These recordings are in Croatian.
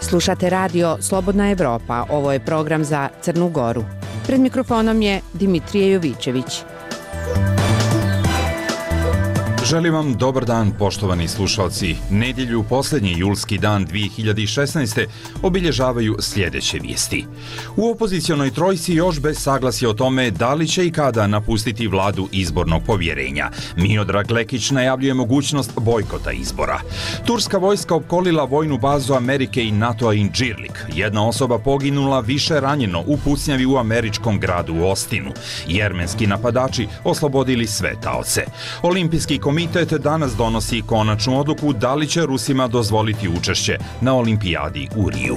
Slušate radio Slobodna Evropa, ovo je program za Crnu Goru. Pred mikrofonom je Dimitrije Jovićević. Želim vam dobar dan, poštovani slušalci. Nedjelju, posljednji julski dan 2016. obilježavaju sljedeće vijesti. U opozicionoj trojci još bez saglasja o tome da li će i kada napustiti vladu izbornog povjerenja. Miodrag Lekić najavljuje mogućnost bojkota izbora. Turska vojska opkolila vojnu bazu Amerike i NATO-a Incirlik. Jedna osoba poginula, više ranjeno u pucnjavi u američkom gradu Austinu. Jermenski napadači oslobodili sve taoce. Olimpijski komitet danas donosi konačnu odluku da li će Rusima dozvoliti učešće na olimpijadi u Riju.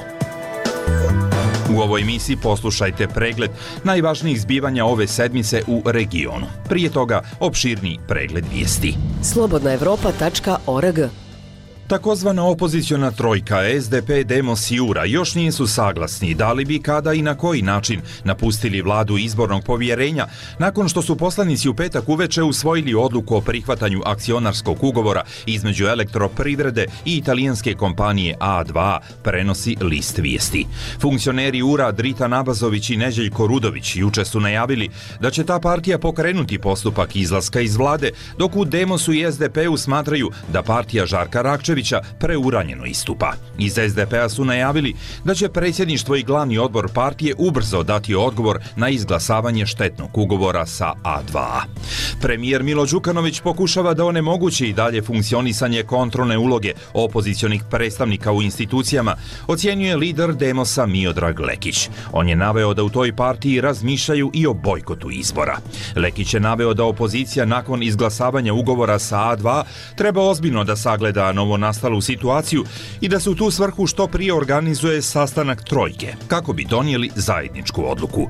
U ovoj emisiji poslušajte pregled najvažnijih zbivanja ove sedmice u regionu. Prije toga opširni pregled vijesti. slobodnaevropa.org. Takozvana opoziciona trojka SDP, Demos i URA još nisu saglasni da li bi, kada i na koji način napustili vladu izbornog povjerenja nakon što su poslanici u petak uveče usvojili odluku o prihvatanju akcionarskog ugovora između Elektroprivrede i italijanske kompanije A2, prenosi List vijesti. Funkcioneri URA Drita Nabazović i Neđeljko Rudović juče su najavili da će ta partija pokrenuti postupak izlaska iz vlade, dok u Demosu i SDP-u smatraju da partija Žarka Rakčevića preuranjeno istupa. Iz SDP-a su najavili da će predsjedništvo i glavni odbor partije ubrzo dati odgovor na izglasavanje štetnog ugovora sa A2. Premijer Milo Đukanović pokušava da onemogući i dalje funkcionisanje kontrolne uloge opozicionih predstavnika u institucijama, ocjenjuje lider Demosa Miodrag Lekić. On je naveo da u toj partiji razmišljaju i o bojkotu izbora. Lekić je naveo da opozicija nakon izglasavanja ugovora sa A2 treba ozbiljno da sagleda novonastalu situaciju i da se u tu svrhu što prije organizuje sastanak trojke, kako bi donijeli zajedničku odluku.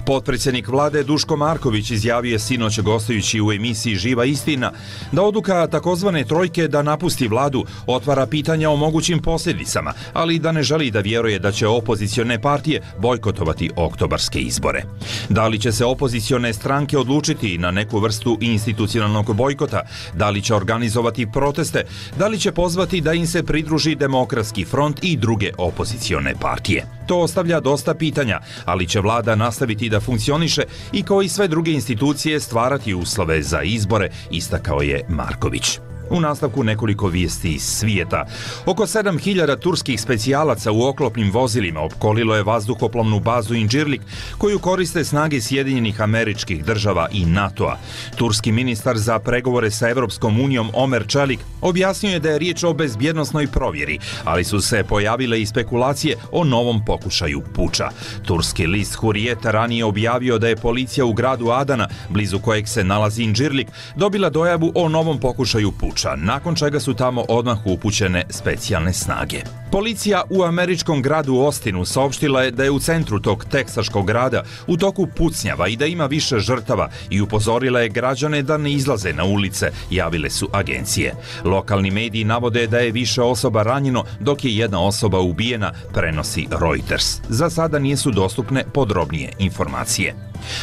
Potpredsjednik vlade Duško Marković izjavio je sinoć gostujući u emisiji Živa istina da odluka takozvane trojke da napusti vladu otvara pitanja o mogućim posljedicama, ali da ne želi da vjeruje da će opozicione partije bojkotovati oktobarske izbore. Da li će se opozicione stranke odlučiti na neku vrstu institucionalnog bojkota, da li će organizovati proteste, da li će pozvati da im se pridruži Demokratski front i druge opozicione partije. To ostavlja dosta pitanja, ali će vlada nastaviti da funkcioniše i kao i sve druge institucije stvarati uslove za izbore, istakao je Marković. U nastavku nekoliko vijesti iz svijeta. Oko 7000 turskih specijalaca u oklopnim vozilima opkolilo je vazduhoplovnu bazu Incirlik koju koriste snage Sjedinjenih Američkih Država i NATO-a. Turski ministar za pregovore sa Evropskom unijom Omer Čelik objasnio je da je riječ o bezbjednosnoj provjeri, ali su se pojavile i spekulacije o novom pokušaju puča. Turski list Hurriyet ranije objavio da je policija u gradu Adana, blizu kojeg se nalazi Incirlik, dobila dojavu o novom pokušaju puča, nakon čega su tamo odmah upućene specijalne snage. Policija u američkom gradu Austinu saopštila je da je u centru tog teksaškog grada u toku pucnjava i da ima više žrtava i upozorila je građane da ne izlaze na ulice, javile su agencije. Lokalni mediji navode da je više osoba ranjeno, dok je jedna osoba ubijena, prenosi Reuters. Za sada nisu dostupne podrobnije informacije.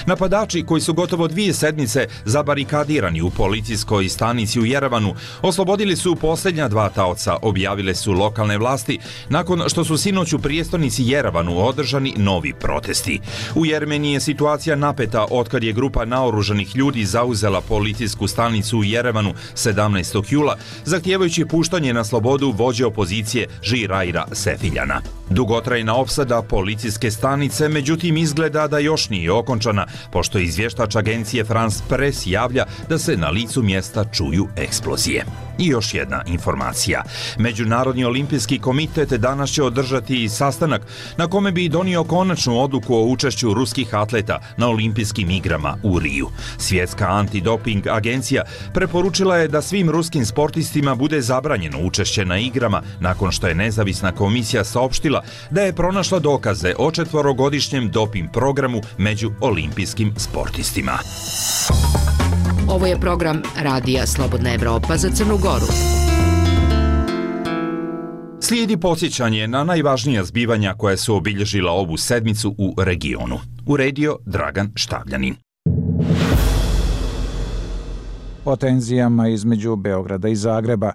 Napadači, koji su gotovo 2 sedmice zabarikadirani u policijskoj stanici u Jerevanu, oslobodili su posljednja 2 taoca, objavile su lokalne vlasti, nakon što su sinoć u prijestolnici Jerevanu održani novi protesti. U Jermeniji je situacija napeta otkad je grupa naoružanih ljudi zauzela policijsku stanicu u Jerevanu 17. jula, zahtijevajući puštanje na slobodu vođe opozicije Žiraira Sefiljana. Dugotrajna opsada policijske stanice, međutim, izgleda da još nije okončana, pošto izvještač agencije France Press javlja da se na licu mjesta čuju eksplozije. I još jedna informacija. Međunarodni olimpijski komitet danas će održati sastanak na kome bi donio konačnu odluku o učešću ruskih atleta na olimpijskim igrama u Riju. Svjetska antidoping agencija preporučila je da svim ruskim sportistima bude zabranjeno učešće na igrama nakon što je nezavisna komisija saopštila da je pronašla dokaze o 4-godišnjem doping programu među olimpijskim sportistima. Ovo je program Radija Slobodna Evropa za Crnu Goru. Slijedi podsjećanje na najvažnija zbivanja koja su obilježila ovu sedmicu u regionu. Uredio Dragan Štavljanin. O tenzijama između Beograda i Zagreba.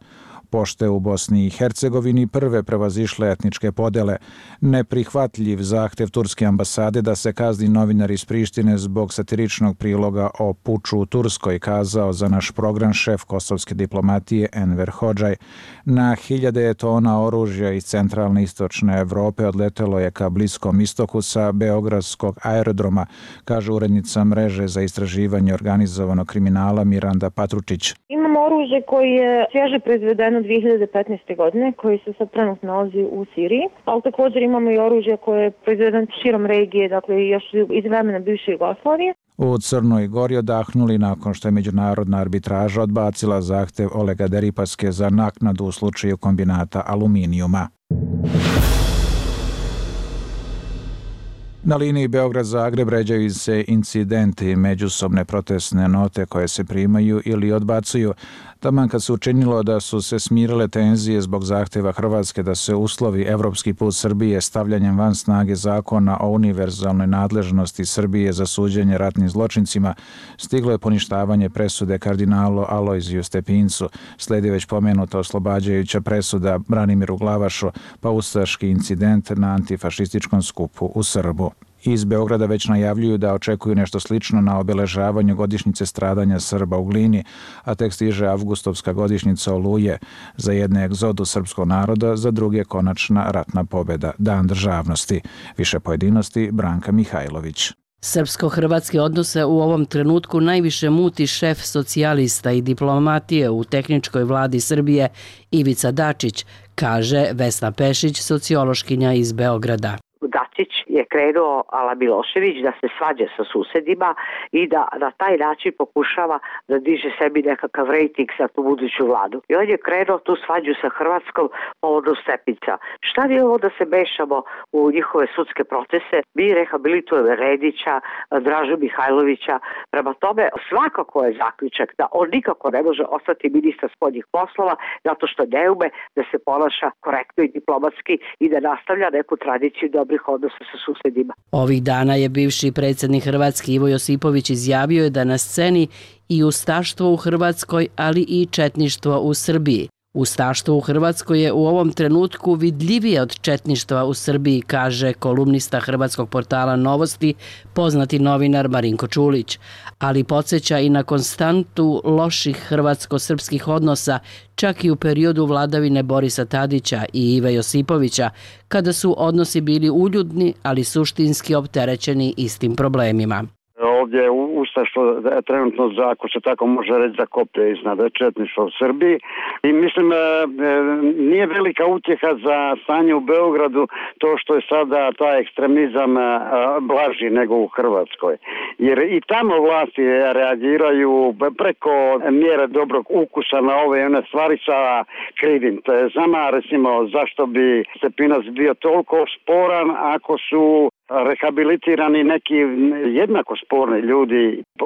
Pošte u Bosni i Hercegovini prve prevazišle etničke podele. Neprihvatljiv zahtev turske ambasade da se kazni novinar iz Prištine zbog satiričnog priloga o puču u Turskoj, kazao za naš program šef kosovske diplomatije Enver Hodžaj. Na hiljade tona oružja iz centralne i istočne Evrope odletelo je ka Bliskom istoku sa beogradskog aerodroma, kaže urednica mreže za istraživanje organizovanog kriminala Miranda Patručić. Imamo oružje koje je svježe proizvedeno 2015. godine, koji se sad trenutno nalazi u Siriji, ali također imamo i oružje koje je proizvedeno širom regije, dakle još iz vremena bivše Jugoslavije. U Crnoj Gori odahnuli nakon što je međunarodna arbitraža odbacila zahtev Olega Deripaske za naknadu u slučaju kombinata aluminijuma. Na liniji Beograd-Zagreb ređaju se incidenti, međusobne protestne note koje se primaju ili odbacuju. Taman kad se učinilo da su se smirile tenzije zbog zahteva Hrvatske da se uslovi evropski put Srbije stavljanjem van snage zakona o univerzalnoj nadležnosti Srbije za suđenje ratnim zločincima, stiglo je poništavanje presude kardinalu Alojziju Stepincu, slijedi već pomenuta oslobađajuća presuda Branimiru Glavašu, pa ustaški incident na antifašističkom skupu u Srbu. Iz Beograda već najavljuju da očekuju nešto slično na obeležavanju godišnjice stradanja Srba u Glini, a tek stiže avgustovska godišnjica Oluje, za jedne egzodus srpskog naroda, za druge konačna ratna pobjeda, Dan državnosti. Više pojedinosti Branka Mihajlović. Srpsko-hrvatske odnose u ovom trenutku najviše muti šef socijalista i diplomatije u tehničkoj vladi Srbije Ivica Dačić, kaže Vesna Pešić, sociološkinja iz Beograda. Dačić je krenuo ala Milošević da se svađa sa susedima i da na taj način pokušava da diže sebi nekakav rejting za tu buduću vladu. I on je krenuo tu svađu sa Hrvatskom povodom Stepinca. Šta mi ovo da se mešamo u njihove sudske procese? Mi rehabilitujemo Redića, Dražu Mihajlovića. Prema tome, svakako je zaključak da on nikako ne može ostati ministar spoljnih poslova zato što ne ume da se ponaša korektno i diplomatski i da nastavlja neku tradiciju dobrih odnosa sa susedima. Ovih dana je bivši predsjednik Hrvatske Ivo Josipović izjavio je da na sceni i ustaštvo u Hrvatskoj, ali i četništvo u Srbiji. Ustaštvo u Hrvatskoj je u ovom trenutku vidljivije od četništva u Srbiji, kaže kolumnista hrvatskog portala Novosti, poznati novinar Marinko Čulić, ali podsjeća i na konstantu loših hrvatsko-srpskih odnosa, čak i u periodu vladavine Borisa Tadića i Ive Josipovića, kada su odnosi bili uljudni, ali suštinski opterećeni istim problemima. Ovdje ustaštvo trenutno, ako se tako može reći, za koplje iznad četništva u Srbiji. I mislim, nije velika utjeha za stanje u Beogradu to što je sada taj ekstremizam blaži nego u Hrvatskoj. Jer i tamo vlasti reagiraju preko mjere dobrog ukusa na ove i one stvari sa krivim. To je znama, recimo, zašto bi Stepinac bio toliko sporan ako su rehabilitirani neki jednako sporni ljudi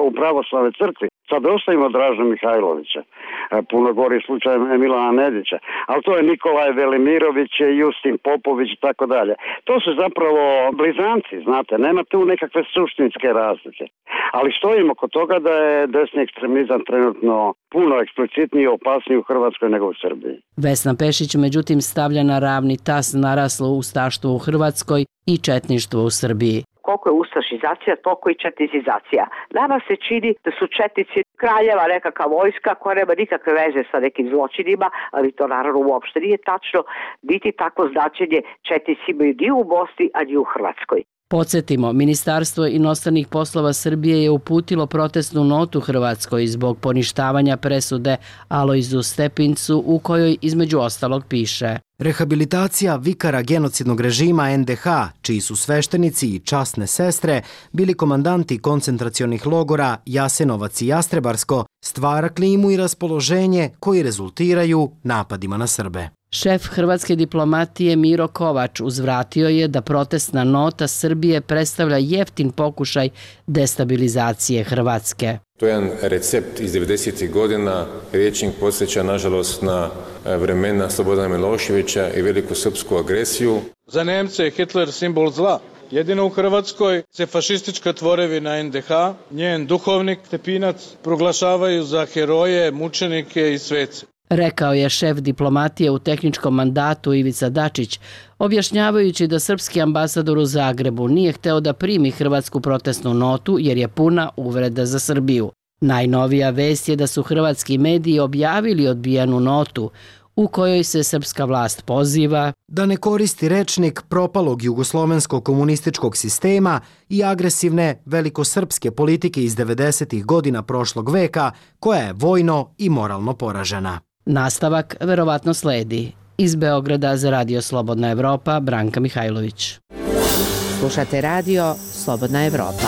u pravoslavnoj crkvi. Sad ostavimo Draža Mihajlovića, puno gori slučaj Milana Nedića, ali to je Nikolaj Velimirović, Justin Popović i tako dalje. To su zapravo blizanci, znate, nema tu nekakve suštinske razlike. Ali stojimo kod toga da je desni ekstremizam trenutno puno eksplicitniji i opasniji u Hrvatskoj nego u Srbiji. Vesna Pešić međutim stavlja na ravni tas naraslo ustaštvo u Hrvatskoj i četništvo u Srbiji. Koliko je ustašizacija, toliko i četnizizacija. Nama se čini da su četnici kraljeva nekakva vojska koja nema nikakve veze sa nekim zločinima, ali to naravno uopšte nije tačno, niti tako značenje četnici imaju ni u Bosni, a ni u Hrvatskoj. Podsjetimo, Ministarstvo inostranih poslova Srbije je uputilo protestnu notu Hrvatskoj zbog poništavanja presude Alojzu Stepincu u kojoj između ostalog piše: Rehabilitacija vikara genocidnog režima NDH, čiji su sveštenici i časne sestre bili komandanti koncentracionih logora Jasenovac i Jastrebarsko, stvara klimu i raspoloženje koji rezultiraju napadima na Srbe. Šef hrvatske diplomatije Miro Kovač uzvratio je da protestna nota Srbije predstavlja jeftin pokušaj destabilizacije Hrvatske. To je jedan recept iz 90. godina, rječnik podsjeća nažalost na vremena Slobodana Miloševića i veliku srpsku agresiju. Za Nemce je Hitler simbol zla, Jedino u Hrvatskoj se fašistička tvorevina NDH, njen duhovnik Stepinac proglašavaju za heroje, mučenike i svece. Rekao je šef diplomatije u tehničkom mandatu Ivica Dačić, objašnjavajući da srpski ambasador u Zagrebu nije hteo da primi hrvatsku protestnu notu jer je puna uvreda za Srbiju. Najnovija vest je da su hrvatski mediji objavili odbijenu notu u kojoj se srpska vlast poziva da ne koristi rečnik propalog jugoslovenskog komunističkog sistema i agresivne velikosrpske politike iz 90. godina prošlog veka, koja je vojno i moralno poražena. Nastavak verovatno sledi. Iz Beograda za Radio Slobodna Evropa, Branka Mihajlović. Slušate radio Slobodna Evropa.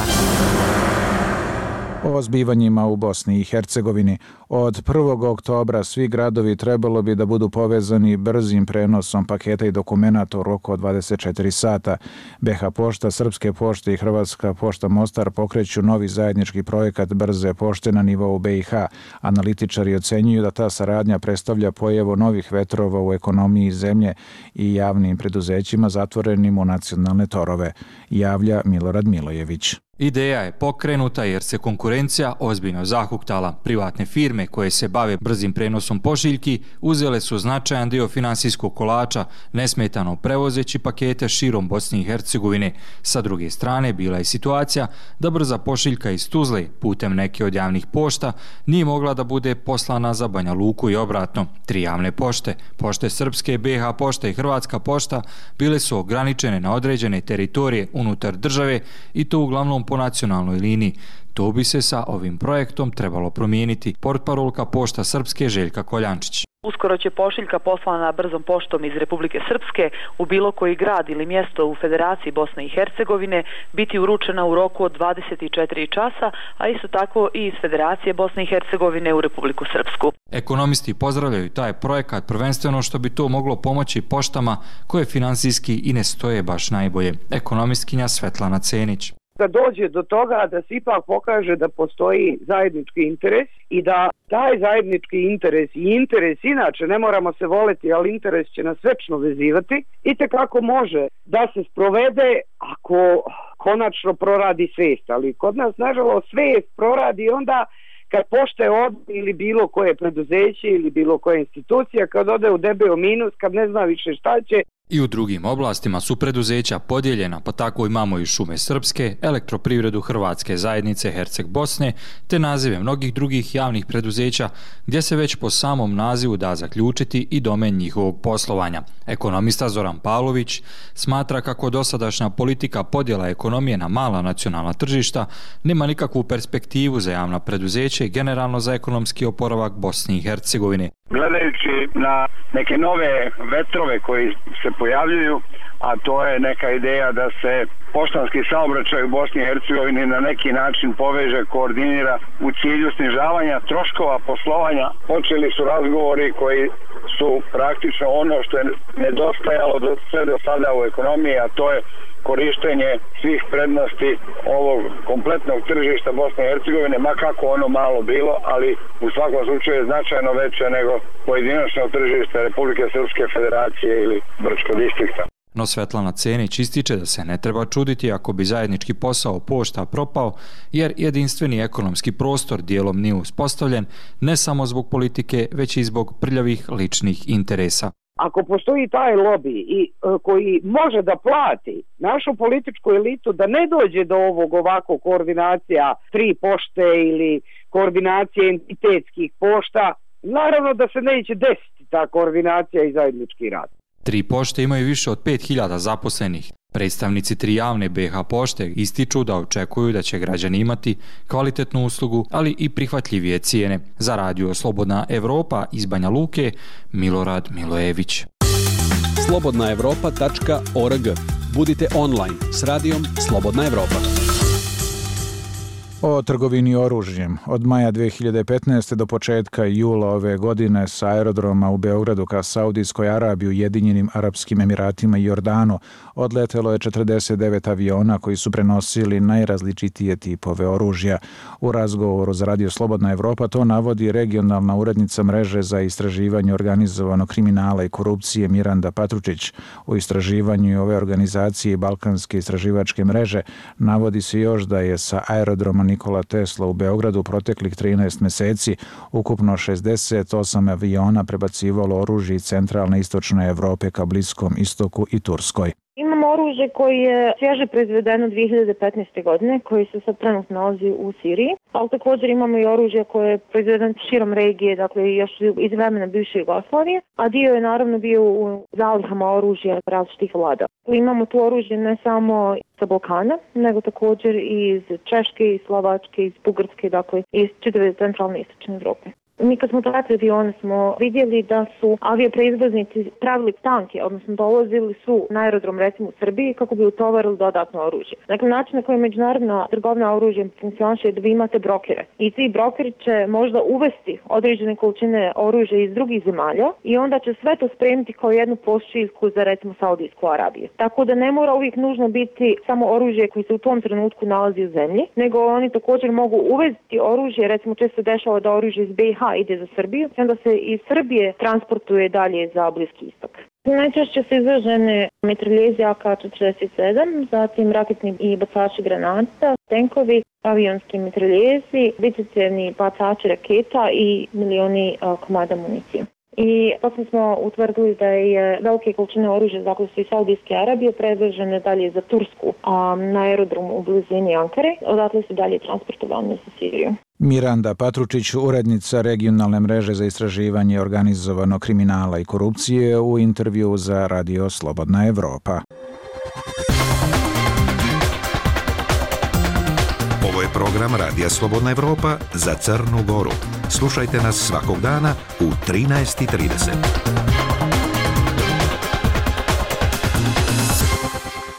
O zbivanjima u Bosni i Hercegovini. Od 1. oktobra svi gradovi trebalo bi da budu povezani brzim prenosom paketa i dokumenata u roku od 24 sata. BH Pošta, Srpske pošte i Hrvatska pošta Mostar pokreću novi zajednički projekat brze pošte na nivou BiH. Analitičari ocenjuju da ta saradnja predstavlja pojavu novih vetrova u ekonomiji zemlje i javnim preduzećima zatvorenim u nacionalne torove, javlja Milorad Milojević. Ideja je pokrenuta jer se konkurencija ozbiljno zahuktala. Privatne firme koje se bave brzim prenosom pošiljki uzele su značajan dio finansijskog kolača, nesmetano prevozeći pakete širom Bosne i Hercegovine. Sa druge strane, bila je situacija da brza pošiljka iz Tuzle putem neke od javnih pošta nije mogla da bude poslana za Banja Luku i obratno. 3 javne pošte, pošte Srpske, BH Pošta i Hrvatska pošta, bile su ograničene na određene teritorije unutar države i to uglavnom po nacionalnoj liniji. To bi se sa ovim projektom trebalo promijeniti, portparolka Pošta Srpske Željka Koljančić. Uskoro će pošiljka poslana brzom poštom iz Republike Srpske u bilo koji grad ili mjesto u Federaciji Bosne i Hercegovine biti uručena u roku od 24 časa, a isto tako i iz Federacije Bosne i Hercegovine u Republiku Srpsku. Ekonomisti pozdravljaju taj projekat prvenstveno što bi to moglo pomoći poštama koje finansijski i ne stoje baš najbolje. Ekonomistkinja Svetlana Cenić. Da dođe do toga da se ipak pokaže da postoji zajednički interes i da taj zajednički interes i interes inače, ne moramo se voleti, ali interes će nas večno vezivati, itekako može da se sprovede ako konačno proradi svijest. Ali kod nas, nažalost, svijest proradi onda kad pošte ili bilo koje preduzeće ili bilo koja institucija, kad ode u debeo minus, kad ne zna više šta će. I u drugim oblastima su preduzeća podijeljena, pa tako imamo i Šume Srpske, Elektroprivredu Hrvatske zajednice Herceg Bosne, te nazive mnogih drugih javnih preduzeća, gdje se već po samom nazivu da zaključiti i domen njihovog poslovanja. Ekonomista Zoran Pavlović smatra kako dosadašnja politika podjela ekonomije na mala nacionalna tržišta nema nikakvu perspektivu za javna preduzeća i generalno za ekonomski oporavak Bosne i Hercegovine. Gledajući na neke nove vetrove koji se pojavljuju, a to je neka ideja da se poštanski saobraćaj u Bosni i Hercegovini na neki način poveže, koordinira u cilju snižavanja troškova poslovanja. Počeli su razgovori koji su praktično ono što je nedostajalo sve do sada u ekonomiji, a to je korištenje svih prednosti ovog kompletnog tržišta Bosne i Hercegovine, ma kako ono malo bilo, ali u svakom slučaju je značajno veće nego pojedinačno tržište Republike Srpske Federacije ili Brčkog distrikta. No Svetlana Cenić ističe da se ne treba čuditi ako bi zajednički posao pošta propao, jer jedinstveni ekonomski prostor dijelom nije uspostavljen ne samo zbog politike, već i zbog prljavih ličnih interesa. Ako postoji taj lobby i koji može da plati našu političku elitu da ne dođe do ovako koordinacija 3 pošte ili koordinacije entitetskih pošta, naravno da se neće desiti ta koordinacija i zajednički rad. 3 pošte imaju više od 5000 zaposlenih. Predstavnici 3 javne BH pošte ističu da očekuju da će građani imati kvalitetnu uslugu, ali i prihvatljivije cijene. Za Radio Slobodna Evropa iz Banja Luke, Milorad Milojević. slobodnaevropa.org. Budite online s radijom Slobodna Evropa. O trgovini oružjem. Od maja 2015. do početka jula ove godine sa aerodroma u Beogradu ka Saudijskoj Arabiji, Ujedinjenim Arapskim Emiratima i Jordanu odletelo je 49 aviona koji su prenosili najrazličitije tipove oružja. U razgovoru za Radio Slobodna Evropa to navodi regionalna urednica mreže za istraživanje organizovanog kriminala i korupcije Miranda Patručić. U istraživanju ove organizacije i Balkanske istraživačke mreže navodi se još da je sa aerodroma Nikola Tesla u Beogradu proteklih 13 meseci ukupno 68 aviona prebacivalo oružje iz centralne i istočne Evrope ka Bliskom istoku i Turskoj. Imamo oružje koje je svježe proizvedeno 2015. godine, koji se sad trenutno nalazi u Siriji, ali također imamo i oružje koje je proizvedeno širom regije, dakle još iz vremena bivše Jugoslavije, a dio je naravno bio u zalihama oružja različitih vlada. Imamo tu oružje ne samo sa Balkana, nego također i iz Češke, iz Slovačke, iz Bugarske, dakle iz čitave centralne i istočne Evrope. Mi kad smo tražili avione smo vidjeli da su aviopreizvoznici pravili tanke, odnosno dolazili su na aerodrom recimo u Srbiji kako bi utovarili dodatno oružje. Dakle, način na koji međunarodna trgovina oružjem funkcioniše je da vi imate brokere. I ti brokeri će možda uvesti određene količine oružja iz drugih zemalja i onda će sve to spremiti kao jednu pošiljku za recimo Saudijsku Arabiju. Tako da ne mora uvijek nužno biti samo oružje koje se u tom trenutku nalazi u zemlji, nego oni također mogu uvesti oružje, recimo često dešava da oružje iz BiH ide za Srbiju i onda se iz Srbije transportuje dalje za Bliski istok. Najčešće su izražene mitraljezi AK-47, zatim raketni i bacači granata, tenkovi, avionski mitraljezi, višecjevni bacači raketa i milioni komada municije. I potom smo utvrdili da je velike količine oružja dakle su iz Saudijske Arabije prevežene dalje za Tursku na aerodromu u blizini Ankare, odatle su dalje transportovane za Siriju. Miranda Patručić, urednica regionalne mreže za istraživanje organizovanog kriminala i korupcije, u intervju za Radio Slobodna Evropa. Ovo je program Radija Slobodna Evropa za Crnu Goru. Slušajte nas svakog dana u 13:30.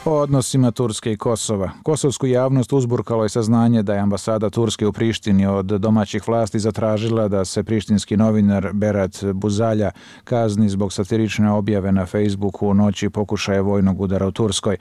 O odnosima Turske i Kosova. Kosovsku javnost uzburkalo je saznanje da je ambasada Turske u Prištini od domaćih vlasti zatražila da se prištinski novinar Berat Buzalja kazni zbog satirične objave na Facebooku u noći pokušaja vojnog udara u Turskoj.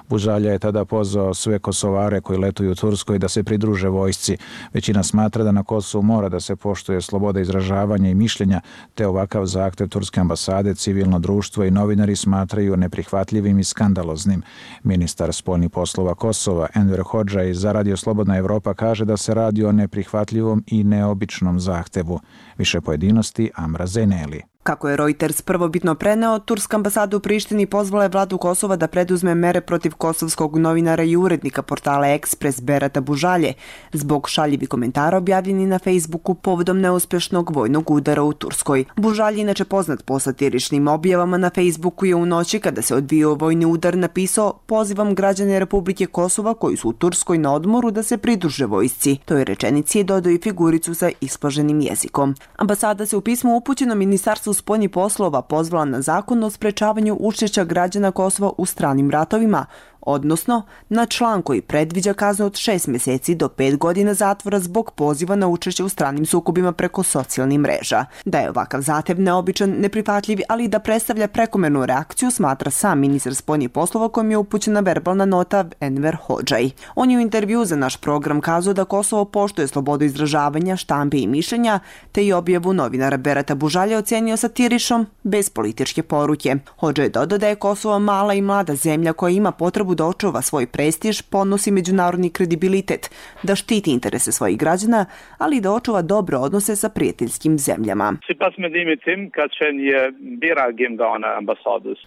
Buzalja je tada pozvao sve Kosovare koji letuju u Turskoj da se pridruže vojsci. Većina smatra da na Kosovu mora da se poštuje sloboda izražavanja i mišljenja, te ovakav zahtev Turske ambasade, civilno društvo i novinari smatraju neprihvatljivim i skandaloznim. Ministar spoljnih poslova Kosova Enver Hodžaj za Radio Slobodna Evropa kaže da se radi o neprihvatljivom i neobičnom zahtevu. Više pojedinosti Amra Zeneli. Kako je Reuters prvobitno preneo, turska ambasada u Prištini pozvala je vladu Kosova da preduzme mere protiv kosovskog novinara i urednika portala Ekspres Berata Bužalje zbog šaljivih komentara objavljeni na Facebooku povodom neuspješnog vojnog udara u Turskoj. Bužalje, inače poznat po satiričnim objavama na Facebooku, je u noći kada se odvijao vojni udar napisao: "Pozivam građane Republike Kosova koji su u Turskoj na odmoru da se pridruže vojsci." Toj rečenici je dodao i figuricu sa isplaženim jezikom. Ambasada se u pismu upućeno Ministarstvu spoljnih poslova pozvala na zakon o sprečavanju učešća građana Kosova u stranim ratovima, odnosno na član koji predviđa kaznu od 6 mjeseci do 5 godina zatvora zbog poziva na učešće u stranim sukobima preko socijalnih mreža. Da je ovakav zahtev neobičan, neprihvatljiv, ali i da predstavlja prekomernu reakciju, smatra sam ministar spoljnih poslova kojim je upućena verbalna nota Enver Hodžaj. On je u intervju za naš program kazao da Kosovo poštuje slobodu izražavanja, štampe i mišljenja, te i objavu novinara Berata Bužalja ocenio satiričnom, bez političke poruke. Hodžaj dodao da je Kosovo mala i mlada zemlja koja ima potrebu da očuva svoj prestiž, ponosi međunarodni kredibilitet, da štiti interese svojih građana, ali i da očuva dobre odnose sa prijateljskim zemljama.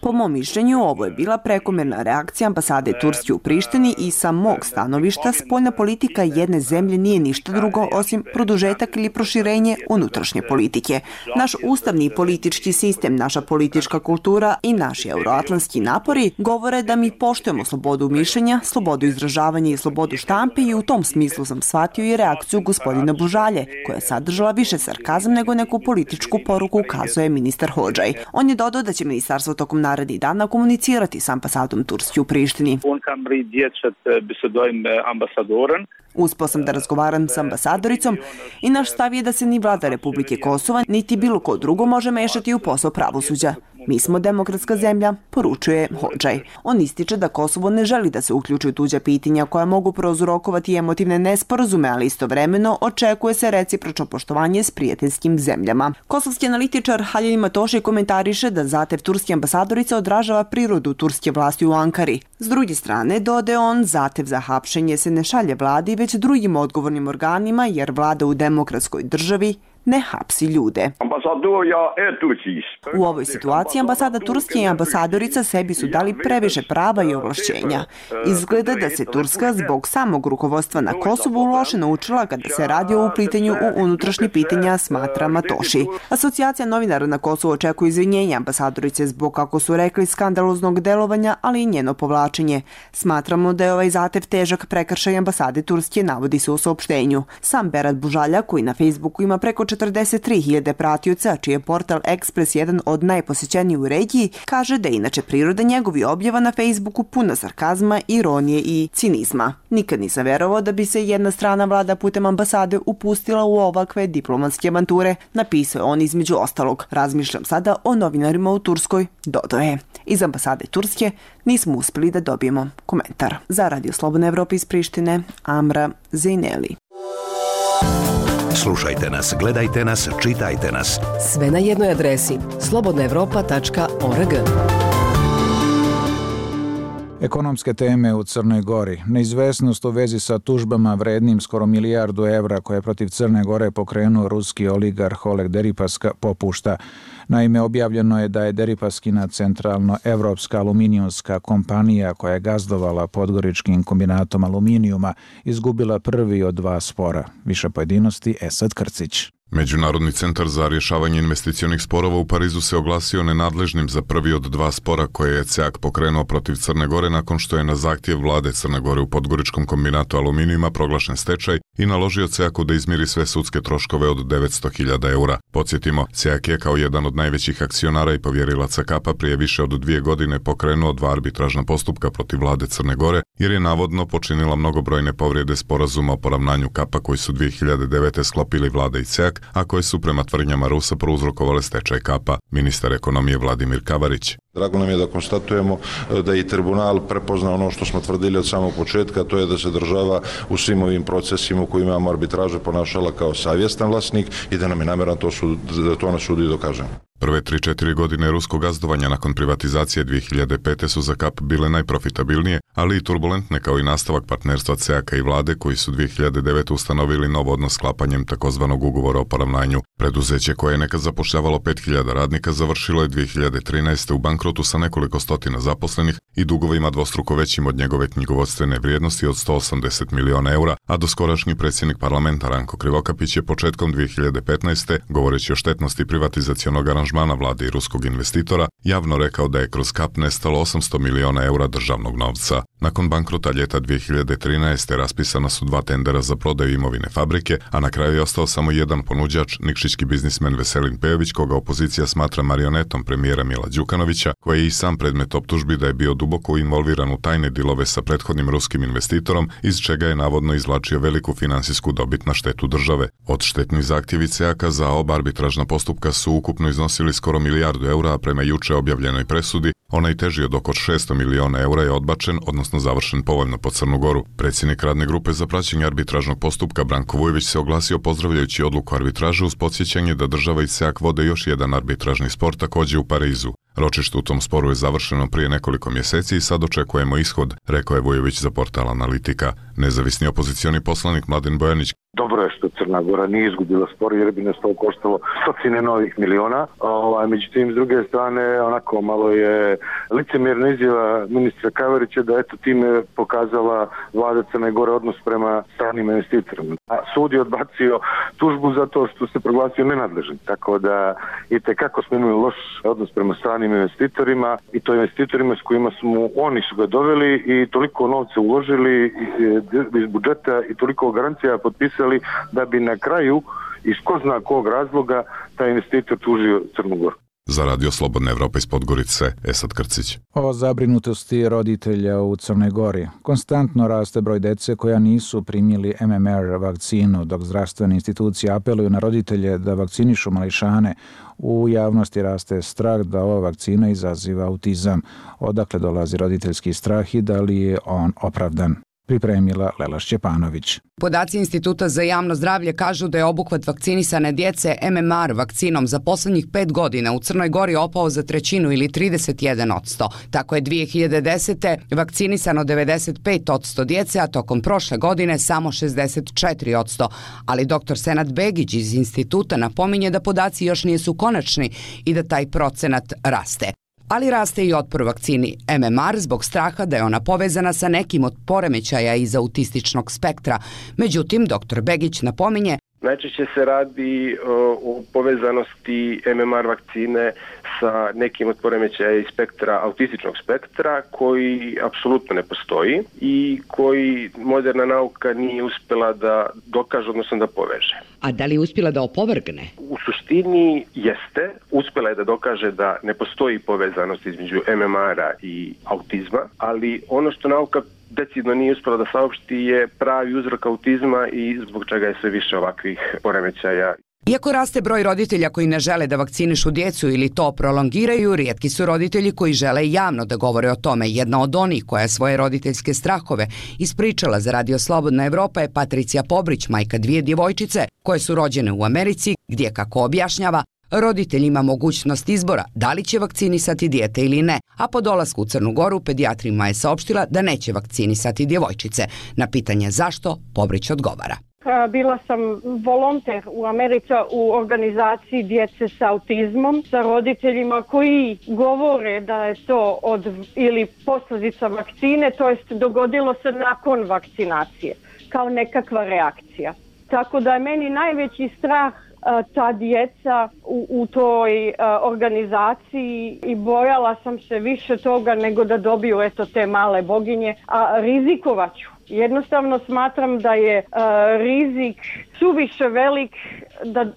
Po mom mišljenju, ovo je bila prekomerna reakcija ambasade Turske u Prištini i sa mog stanovišta spoljna politika jedne zemlje nije ništa drugo osim produžetak ili proširenje unutrašnje politike. Naš ustavni i politički sistem, naša politička kultura i naši euroatlantski napori govore da mi poštujemo slobodu mišljenja, slobodu izražavanja i slobodu štampe i u tom smislu sam shvatio i reakciju gospodina Bužalje, koja je sadržala više sarkazam nego neku političku poruku, kazuje ministar Hodžaj. On je dodao da će ministarstvo tokom narednih dana komunicirati s ambasadom Turske u Prištini. Uspeo sam da razgovaram s ambasadoricom i naš stav je da se ni vlada Republike Kosova niti bilo ko drugo može mešati u posao pravosuđa. Mi smo demokratska zemlja, poručuje Hodžaj. On ističe da Kosovo ne želi da se uključi u tuđa pitanja koja mogu prouzrokovati emotivne nesporazume, ali istovremeno očekuje se recipročno poštovanje s prijateljskim zemljama. Kosovski analitičar Halil Matoši komentariše da zahtev turske ambasadorice odražava prirodu turske vlasti u Ankari. S druge strane, dodaje on, zahtev za hapšenje se ne šalje vladi, već drugim odgovornim organima, jer vlada u demokratskoj državi ne hapsi ljude. U ovoj situaciji ambasada Turske i ambasadorica sebi su dali previše prava i ovlašćenja. Izgleda da se Turska zbog samog rukovodstva na Kosovu loše naučila kada se radi o uplitanju u unutrašnje pitanja, smatra Matoši. Asocijacija novinara na Kosovu očekuje izvinjenja ambasadorice zbog, kako su rekli, skandaloznog delovanja, ali i njeno povlačenje. Smatramo da je ovaj zahtev težak prekršaj ambasade Turske, navodi se u saopštenju. Sam Berat Bužalja, koji na Facebooku ima preko 43.000 pratioca, čiji je portal Ekspres jedan od najposećenijih u regiji, kaže da je inače priroda njegovi objava na Facebooku puna sarkazma, ironije i cinizma. Nikad nisam verovao da bi se jedna strana vlada putem ambasade upustila u ovakve diplomatske avanture, napisao on između ostalog. Razmišljam sada o novinarima u Turskoj, dodao je. Iz ambasade Turske nismo uspeli da dobijemo komentar. Za Radio Slobodna Evropa iz Prištine, Amra Zejneli. Slušajte nas, gledajte nas, čitajte nas. Sve na jednoj adresi slobodnaevropa.org. Ekonomske teme u Crnoj Gori. Neizvesnost u vezi sa tužbama vrednim skoro €1 milijardu koje je protiv Crne Gore pokrenuo ruski oligarh Oleg Deripaska popušta. Naime, objavljeno je da je Deripaskina centralno-evropska aluminijumska kompanija koja je gazdovala Podgoričkim kombinatom aluminijuma izgubila prvi od 2 spora. Više pojedinosti Esad Krcić. Međunarodni centar za rješavanje investicionih sporova u Parizu se oglasio nenadležnim za prvi od 2 spora koje je CEAK pokrenuo protiv Crne Gore nakon što je na zahtjev vlade Crne Gore u Podgoričkom kombinatu aluminijuma proglašen stečaj i naložio CEAK-u da izmiri sve sudske troškove od €900.000. Podsjetimo, CEAK je kao jedan od najvećih akcionara i povjerilaca Kapa prije više od 2 godine pokrenuo 2 arbitražna postupka protiv vlade Crne Gore jer je navodno počinila mnogobrojne povrede sporazuma o poravnanju Kapa koji su 2009. sklopili vlada i CEAK, a koje su prema tvrdnjama Rusa prouzrokovale stečaj Kapa. Ministar ekonomije Vladimir Kavarić. Drago nam je da konstatujemo da je tribunal prepoznao ono što smo tvrdili od samog početka, to je da se država u svim ovim procesima u kojima imamo arbitraže ponašala kao savjestan vlasnik i da nam je namjeran da to na sudu i dokažemo. Prve 3-4 godine ruskog gazdovanja nakon privatizacije 2005. su za Kap bile najprofitabilnije, ali i turbulentne kao i nastavak partnerstva CEAK-a i vlade koji su 2009. ustanovili nov odnos sklapanjem takozvanog ugovora o poravnanju. Preduzeće koje je nekad zapošljavalo 5.000 radnika završilo je 2013. u bankrotu sa nekoliko stotina zaposlenih i dugovima dvostruko većim od njegove knjigovodstvene vrijednosti od €180 miliona, a doskorašnji predsjednik parlamenta Ranko Krivokapić je početkom 2015. govoreći o štetnosti privatizacionog aranžmana vlade i ruskog investitora, javno rekao da je kroz Kap nestalo €800 miliona državnog novca. Nakon bankrota ljeta 2013. raspisana su 2 tendera za prodaju imovine fabrike, a na kraju je ostao samo jedan ponuđač, nikšićki biznismen Veselin Pejović, koga opozicija smatra marionetom premijera Mila Đukanovića, koji je i sam predmet optužbi da je bio duboko involviran u tajne dilove sa prethodnim ruskim investitorom, iz čega je navodno izvlačio veliku finansijsku dobit na štetu države. Odštetni zahtjevi CEAK-a za oba arbitražna postupka su ukupno iznosili skoro €1 milijardu, a prema juče objavljenoj presudi, onaj teži od oko €600 miliona je odbačen, odnosno završen povoljno po Crnu Goru. Predsjednik radne grupe za praćenje arbitražnog postupka Branko Vujović se oglasio pozdravljajući odluku arbitraže uz podsjećanje da država i CEAK vode još jedan arbitražni spor također u Parizu. Ročište u tom sporu je završeno prije nekoliko mjeseci i sad očekujemo ishod, rekao je Vujović za portal Analitika. Nezavisni opozicioni poslanik Mladen Bojanić. Dobro je što Crna Gora nije izgubila spor jer bi nas to koštalo stotine novih miliona. Međutim, s druge strane, onako malo je licemjerna izjava ministra Kavarića da eto time pokazala vlada Crne Gore odnos prema stranim investitorima. Sud je odbacio tužbu zato što se proglasio nenadležnim. Tako da itekako smo imali loš odnos prema stranim investitorima i to investitorima s kojima oni su ga doveli i toliko novca uložili iz budžeta i toliko garancija potpisali da bi na kraju iz ko zna kog razloga taj investitor tužio Crnu Goru. Za Radio Slobodna Evropa iz Podgorice, Esad Krcić. O zabrinutosti roditelja u Crnoj Gori. Konstantno raste broj dece koja nisu primili MMR vakcinu, dok zdravstvene institucije apeluju na roditelje da vakcinišu mališane. U javnosti raste strah da ova vakcina izaziva autizam. Odakle dolazi roditeljski strah i da li je on opravdan? Pripremila Lela Šćepanović. Podaci Instituta za javno zdravlje kažu da je obuhvat vakcinisane djece MMR vakcinom za poslednjih 5 godina u Crnoj Gori opao za trećinu ili 31%. Tako je 2010. vakcinisano 95% djece, a tokom prošle godine samo 64%. Ali dr. Senad Begić iz Instituta napominje da podaci još nisu konačni i da taj procenat raste. Ali raste i otpor vakcini MMR zbog straha da je ona povezana sa nekim od poremećaja iz autističnog spektra. Međutim, dr. Begić napominje najčešće se radi o povezanosti MMR vakcine sa nekim od poremećaja iz spektra, autističnog spektra, koji apsolutno ne postoji i koji moderna nauka nije uspjela da dokaže, odnosno da poveže. A da li je uspjela da opovrgne? U suštini jeste. Uspjela je da dokaže da ne postoji povezanost između MMR-a i autizma, ali ono što nauka decidno nije uspjela da saopšti je pravi uzrok autizma i zbog čega je sve više ovakvih poremećaja. Iako raste broj roditelja koji ne žele da vakcinišu djecu ili to prolongiraju, rijetki su roditelji koji žele javno da govore o tome. Jedna od onih koja svoje roditeljske strahove ispričala za Radio Slobodna Evropa je Patricija Pobrić, majka 2 djevojčice koje su rođene u Americi, gdje, kako objašnjava, roditelj ima mogućnost izbora da li će vakcinisati dijete ili ne, a po dolasku u Crnu Goru pedijatrima je saopštila da neće vakcinisati djevojčice. Na pitanje zašto, Pobrić odgovara. Bila sam volonter u Americi u organizaciji djece sa autizmom, sa roditeljima koji govore da je to ili posljedica vakcine, to jest dogodilo se nakon vakcinacije, kao nekakva reakcija. Tako da je meni najveći strah ta djeca u toj organizaciji i bojala sam se više toga nego da dobiju te male boginje, a rizikovat ću. Jednostavno smatram da je rizik suviše velik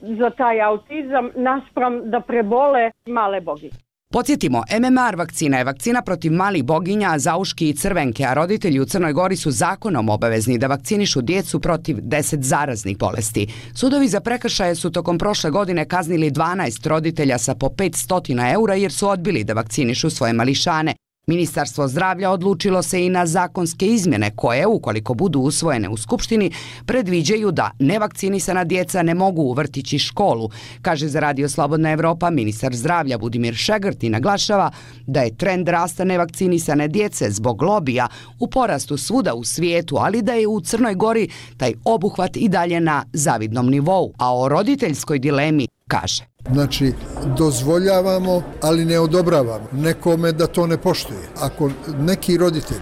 za taj autizam naspram da prebole male boginje. Podsjetimo, MMR vakcina je vakcina protiv malih boginja, zauški i crvenke, a roditelji u Crnoj Gori su zakonom obavezni da vakcinišu djecu protiv 10 zaraznih bolesti. Sudovi za prekršaje su tokom prošle godine kaznili 12 roditelja sa po 500 eura jer su odbili da vakcinišu svoje mališane. Ministarstvo zdravlja odlučilo se i na zakonske izmjene koje, ukoliko budu usvojene u Skupštini, predviđaju da nevakcinisana djeca ne mogu u vrtić i školu. Kaže za Radio Slobodna Evropa ministar zdravlja Budimir Šegrt i naglašava da je trend rasta nevakcinisane djece zbog lobija u porastu svuda u svijetu, ali da je u Crnoj Gori taj obuhvat i dalje na zavidnom nivou. A o roditeljskoj dilemi kaže: Znači, dozvoljavamo, ali ne odobravamo nekome da to ne poštuje. Ako neki roditelj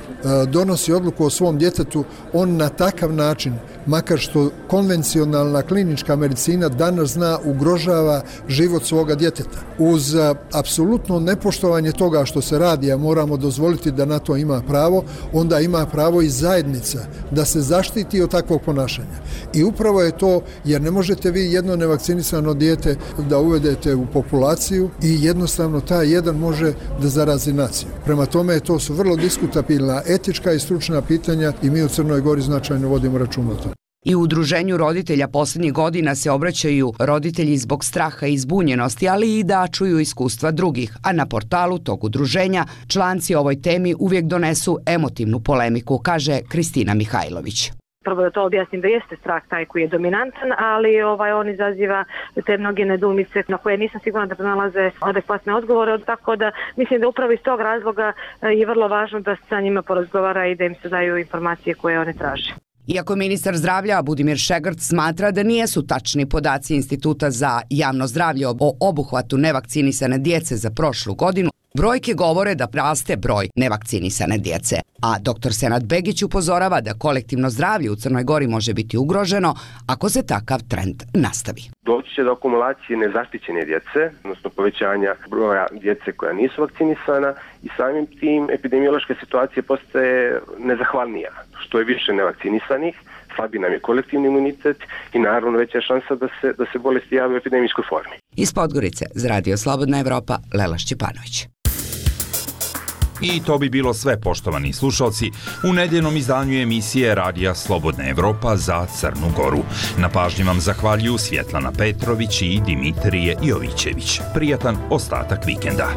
donosi odluku o svom djetetu, on na takav način, makar što konvencionalna klinička medicina danas zna, ugrožava život svoga djeteta. Uz apsolutno nepoštovanje toga što se radi, a moramo dozvoliti da na to ima pravo, onda ima pravo i zajednica da se zaštiti od takvog ponašanja. I upravo je to, jer ne možete vi jedno nevakcinisano dijete da uvedete u populaciju i jednostavno taj jedan može da zarazi naciju. Prema tome, to su vrlo diskutabilna etička i stručna pitanja i mi u Crnoj Gori značajno vodimo računa o tome. I u udruženju roditelja posljednjih godina se obraćaju roditelji zbog straha i zbunjenosti, ali i da čuju iskustva drugih, a na portalu tog udruženja članci o ovoj temi uvijek donesu emotivnu polemiku, kaže Kristina Mihajlović. Prvo da to objasnim da jeste strah taj koji je dominantan, ali on izaziva te mnoge nedoumice na koje nisam sigurna da pronalaze adekvatne odgovore, tako da mislim da upravo iz tog razloga je vrlo važno da se sa njima porazgovara i da im se daju informacije koje one traže. Iako ministar zdravlja Budimir Šegrt smatra da nijesu tačni podaci Instituta za javno zdravlje o obuhvatu nevakcinisane djece za prošlu godinu, Brojke govore da raste broj nevakcinisane djece, a dr. Senad Begić upozorava da kolektivno zdravlje u Crnoj Gori može biti ugroženo ako se takav trend nastavi. Doći će do akumulacije nezaštićene djece, odnosno povećanja broja djece koja nisu vakcinisana i samim tim epidemiološka situacija postaje nezahvalnija. Što je više nevakcinisanih, slabi nam je kolektivni imunitet i naravno veća je šansa da se bolesti jave u epidemijskoj formi. Iz Podgorice za Radio Slobodna Evropa, Lela Šćepanović. I to bi bilo sve, poštovani slušalci, u nedeljnom izdanju emisije Radija Slobodna Evropa za Crnu Goru. Na pažnji vam zahvaljuju Svjetlana Petrović i Dimitrije Jovićević. Prijatan ostatak vikenda.